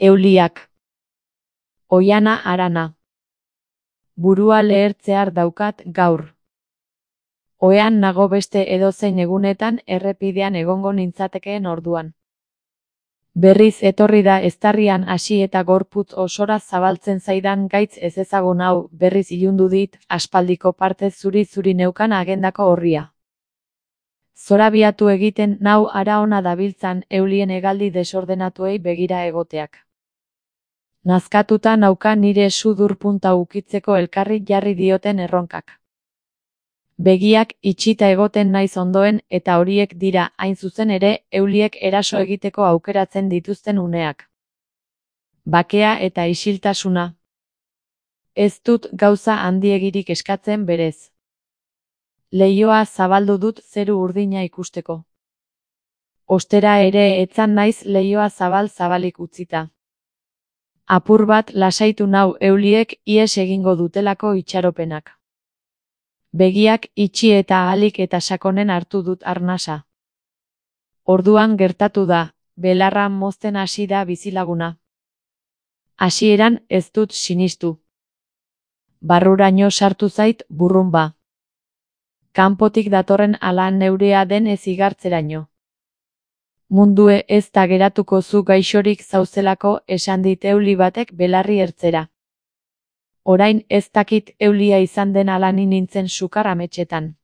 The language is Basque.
Euliak. Oiana harana. Burua lehertzear daukat gaur. Ohean nago beste edozein egunetan errepidean egongo nintzatekeen orduan. Berriz etorri da eztarrian hasi eta gorputz osora zabaltzen zaidan gaitz ezezagun hau, berriz ilundu dit, aspaldiko partez zuri-zuri neukan agendako orria. Zorabiatu egiten nau hara ona dabiltzan eulien hegaldi desordenatuei begira egoteak. Nazkatuta nauka nire sudur punta ukitzeko elkarri jarri dioten erronkak. Begiak itxita egoten naiz ondoen eta horiek dira, hain zuzen ere, euliek eraso egiteko aukeratzen dituzten uneak. Bakea eta isiltasuna. Ez dut gauza handiegirik eskatzen berez. Leihoa zabaldu dut zeru urdina ikusteko. Ostera ere etzan naiz leihoa zabalik utzita. Apur bat lasaitu nau euliek ihes egingo dutelako itxaropenak. Begiak itxi eta ahalik eta sakonen hartu dut arnasa. Orduan gertatu da, belarra mozten hasi da bizilaguna. Hasieran ez dut sinistu. Barruraino sartu zait burrunba. Kanpotik datorren ala neurea den ez igartzeraino. Mundue ez da geratuko zu gaixorik zauzelako esan dit euli batek belarri ertzera. Orain ez dakit eulia izan den ala ni nintzen sukar ametsetan.